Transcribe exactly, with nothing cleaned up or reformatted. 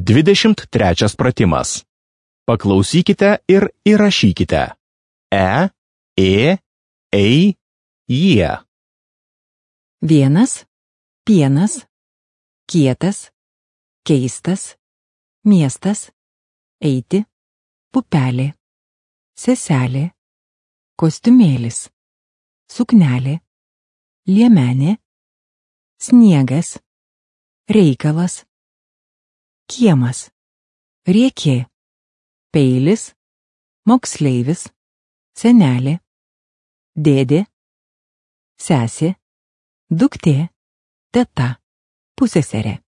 Dvidešimt trečias pratimas. Paklausykite ir įrašykite. E, ė, ei, jie. Vienas, pienas, kietas, keistas, miestas, eiti, pupelė, seselė, kostiumėlis, suknelė, liemenė, sniegas, reikalas, kiemas, riekė, peilis, moksleivis, senelė, dėdė, sesė, duktė, teta, pusseserė.